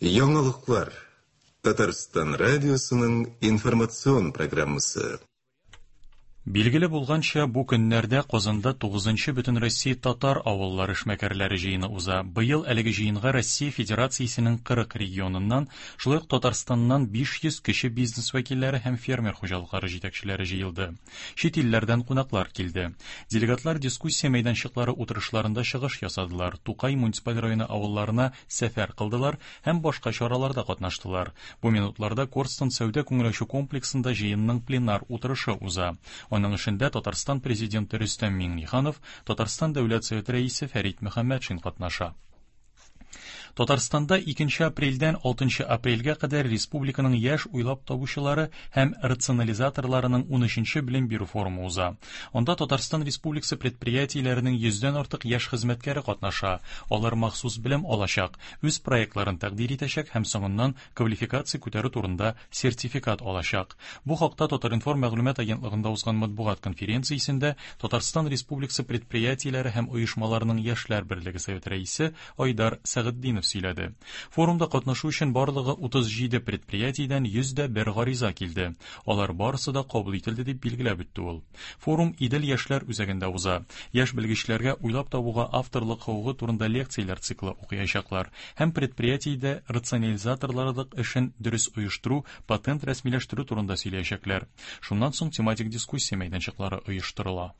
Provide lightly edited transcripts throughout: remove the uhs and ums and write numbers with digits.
Яңалыклар. Татарстан радиосының информацион программасы. Билгеле булганча, бу көннәрдә Казанда 9-нчы Бөтенроссия татар авыллары эшмәкәрләре җыены уза. Быел әлеге җыенга Россия Федерациясенең 40 регионыннан, шулай ук Татарстаннан 500 кече бизнес вәкилләре һәм фермер хуҗалыклары җитәкчеләре җыелды. Чит илләрдән кунаклар килде. Делегатлар дискуссия мәйданчыклары утырышларында чыгыш ясадылар, Тукай муниципаль районы авылларына сәфәр кылдылар һәм башка чараларда катнаштылар. Бу минутларда Корстон сәүдә-күңел ачу комплексында җыенның пленар утырышы уза. Аның эшендә Татарстан Президенты Рөстәм Миңнеханов, Татарстан Дәүләт Советы Рәисе Фәрит Мөхәммәтшин катнаша. Татарстанда 2 апрельдән 6 апрельгә кадәр республиканың яшь уйлап табучылары һәм рационализаторларының 13-нче белем бирү форумы уза. Анда Татарстан Республикасы предприятиеләренең йөздән артык яшь хезмәткәре катнаша. Алар махсус белем алачак, үз проектларын тәкъдир итәчәк һәм соңыннан квалификация күтәрү турында сертификат алачак. Бу хакта Татар-информ мәгълүмат агентлыгында узган матбугат конференциясендә Татарстан Республикасы предприятиеләре һәм оешмаларының яшьләр берлеге советы рәисе Айдар Сәгытдинов сөйләде. Форумда катнашу өчен барлыгы 37 предприятиедән 101 гариза килде. Алар барысы да кабул ителде, дип билгеләп үтте ул. Форум Идел яшьләр үзәгендә уза. Яшь белгечләргә уйлап табуга авторлык хокукы турында лекцияләр циклы укыячаклар һәм предприятиедә рационализаторларлык эшен дөрес оештыру, патент рәсмиләштерү турында сөйләячәкләр. Шуннан соң тематик дискуссия мәйданчыклары оештырыла.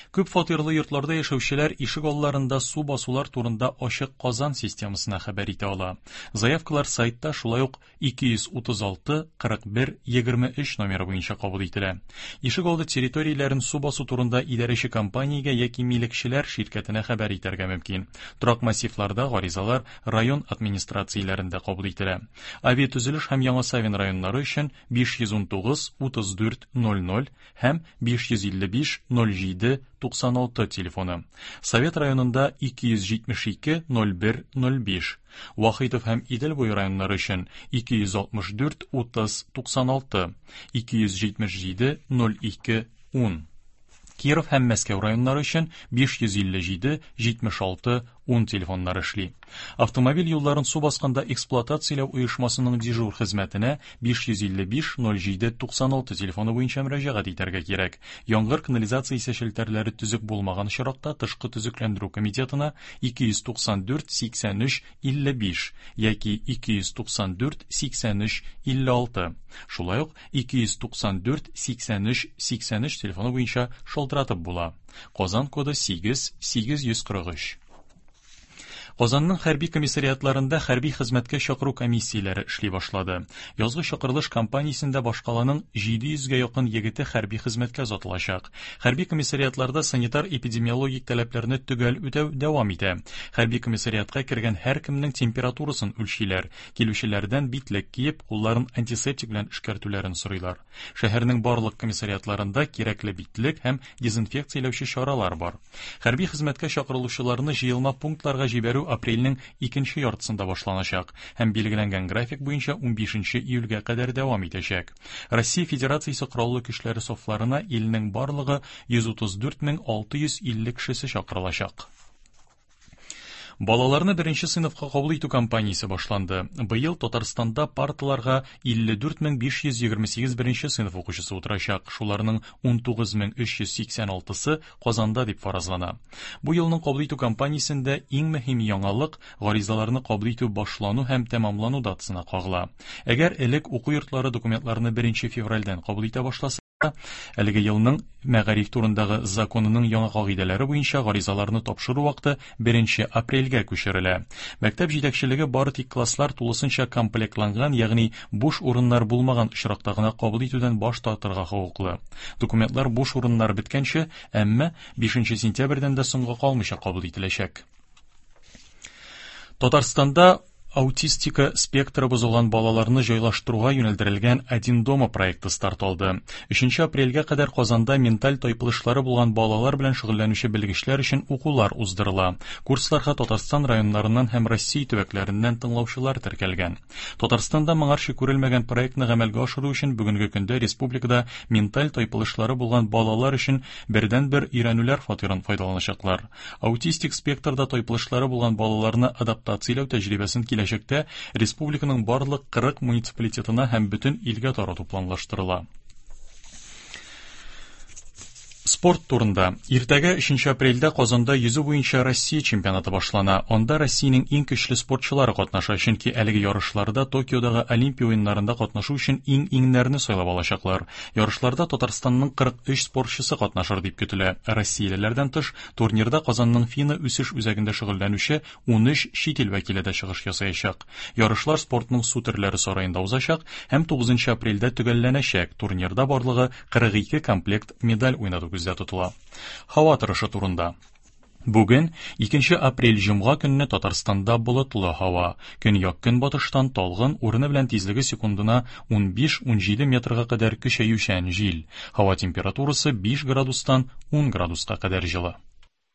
Күп фатирлы йортларда яшәүчеләр ишек алларында су басулар турында ачык Казан системасына хәбәр итә ала. Заявкалар сайтта шулай ук 236 41 23 номеры буенча кабул ителә. Ишек алды территорияләрен су басу турында идарәче компаниягә яки милекчеләр ширкәтенә хәбәр итәргә мөмкин. Торак массивларда гаризалар район администрацияләрендә кабул ителә. Авиатөзелеш һәм Яңа Савин районнары өчен 519 34 00 һәм 555 07 96 телефоны. Совет районында 272 01 05. Вахитов һәм Идел буе районнары өчен 264 30 96, 277 02 10. Киров һәм Мәскәү районнары өчен 557 76 10 телефоннары эшли. Автомобиль юлларын су басканда эксплуатацияләү оешмасының дежур хезмәтенә 555 07 96 телефоны буенча мөрәҗәгать итәргә кирәк. Яңгыр канализациясе челтәрләре төзек булмаган очракта тышкы төзекләндерү комитетына 294 83 55 яки 294 83 56, шулай ук 294 83 83 телефоны буенча шалтыратып була. Казан коды 8 843. Казанның хәрби комиссариатларында хәрби хезмәткә чакыру комиссияләре эшли башлады. Язгы чакырылыш кампаниясендә башкаланың 700 гә якын егете хәрби хезмәткә озатылачак. Хәрби комиссариатларда санитар-эпидемиологик таләпләрне төгәл үтәү дәвам итә. Хәрби комиссариатка кергән һәркемнең температурасын үлчиләр, килүчеләрдән битлек киеп, кулларын антисептик белән эшкәртүләрен сорыйлар. Шәһәрнең барлык комиссариатларында кирәкле битлек һәм дезинфекцияләүче чаралар бар. Хәрби хезмәткә чакырылучыларны җыелма пунктларга җибәрү апрельнең икенче яртысында башланачак һәм билгеләнгән график буенча 15 июльгә кадәр дәвам итәчәк. Россия Федерациясе Кораллы Көчләре сафларына илнең барлыгы 134 650 кешесе чакырылачак. Балаларны беренче сыйныфка кабул итү кампаниясе башланды. Быел Татарстанда парталарга 54528 беренче сыйныф укучысы утырачак, шуларның 19386-сы Казанда дип фаразлана. Бу елның кабул итү кампаниясендә иң мөһим яңалык гаризаларны кабул итү башлану һәм тәмамлану датасына кагыла. Әгәр элек уку йортлары документларны 1 февральдән кабул итә башласа, Әлеге елның мәгариф турындагы законының яңа кагыйдәләре буенча гаризаларны тапшыру вакыты 1 апрельгә күчерелә. Мәктәп җитәкчелеге бары тик класслар тулысынча комплектланган, ягъни буш урыннар булмаган очракта гына кабул итүдән баш тартырга хокуклы. Документлар буш урыннар беткәнче, әмма 5 сентябрьдән дә соңга калмыйча кабул ителәчәк. Татарстанда аутистика спектры бозылган балаларны җайлаштыруга юнәлдерелгән Один дома проекты старт алды. 3 апрельгә кадәр Казанда менталь тайпылышлары булган балалар белән шөгыльләнүче белгечләр өчен укулар уздырыла. Курсларга Татарстан районнарыннан һәм Россия төбәкләреннән тыңлаучылар теркәлгән. Татарстанда моңарчы күрелмәгән проектны гамәлгә ашыру өчен бүгенге көндә республикада менталь тайпылышлары булган балалар өчен бердәнбер өйрәнүләр фатирын файдаланачаклар. Аутистик спектрда тайпылышлары булган балаларны адаптацияләү тәҗрибәсен киләчәктә киләчәктә республиканың барлык 40 муниципалитетына һәм бөтен илгә тарату планлаштырыла. Спорт турында. Иртәгә 3 апрельдә Казанда йөзү буенча Россия чемпионаты башлана. Анда Россиянең иң көчле спортчылары катнаша, чөнки әлеге ярышларда Токиодагы Олимпия уеннарында катнашу өчен иң-иңнәрне сайлап алачаклар. Ярышларда Татарстанның 43 спортчысы катнашыр дип көтелә. Россиялеләрдән тыш, турнирда Казанның ФИНА үсеш үзәгендә шөгыльләнүче 13 чит ил вәкиле дә чыгыш ясаячак. Ярышлар спортның су төрләре сараенда узачак һәм 9 апрельдә төгәлләнәчәк. Турнирда барлыгы 42 комплект медаль уйнату күздә тотыла. Һава торышы турында. Бүген, 2 апрель җомга көнне Татарстанда болытлы һава. Көньяк-көнбатыштан талгын, урыны белән тизлеге секундына 15-17 метрга кадәр көчәючән җил. Һава температурасы 5 градустан 10 градуска кадәр җылы.